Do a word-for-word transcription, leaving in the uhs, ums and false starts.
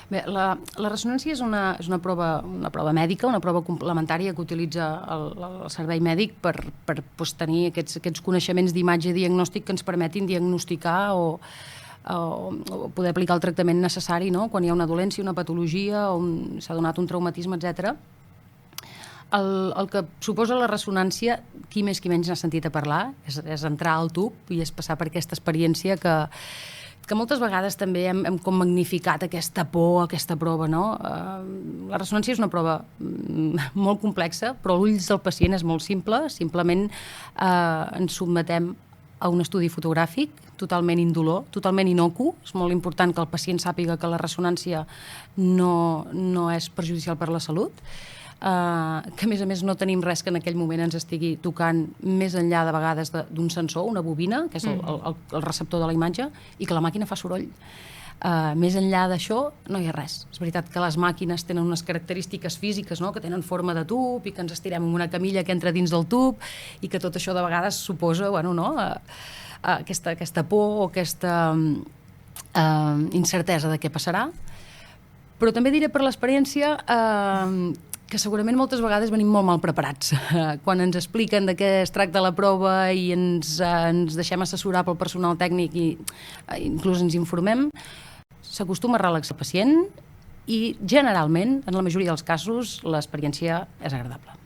Bé, la, la ressonància és una, és una, prova, una prova mèdica, una prova complementària que utilitza el, el servei mèdic per, per doncs, tenir aquests, aquests coneixements d'imatge diagnòstic que ens permetin diagnosticar o, o, o poder aplicar el tractament necessari, no? Quan hi ha una dolència, una patologia, o un, s'ha donat un traumatisme, etcètera. El, el que suposa la ressonància, qui més qui menys n'ha sentit a parlar, és, és entrar al tub i és passar per aquesta experiència que, que moltes vegades també hem, hem com magnificat aquesta por, aquesta prova, no? Uh, la ressonància és una prova mm, molt complexa, però a l'ulls del pacient és molt simple. Simplement uh, ens sotmetem a un estudi fotogràfic totalment indolor, totalment inocu. És molt important que el pacient sàpiga que la ressonància no, no és perjudicial per la salut. Uh, que a més a més no tenim res que en aquell moment ens estigui tocant més enllà de vegades d'un sensor, una bobina, que és el, el, el receptor de la imatge, i que la màquina fa soroll. Uh, més enllà d'això no hi ha res. És veritat que les màquines tenen unes característiques físiques, no? Que tenen forma de tub i que ens estirem en una camilla que entra dins del tub i que tot això de vegades suposa bueno, no? uh, uh, aquesta, aquesta por o aquesta uh, incertesa de què passarà. Però també diré per l'experiència uh, que segurament moltes vegades venim molt mal preparats. Quan ens expliquen de què es tracta la prova i ens, ens deixem assessorar pel personal tècnic i inclús ens informem, s'acostuma a relaxar el pacient i generalment, en la majoria dels casos, l'experiència és agradable.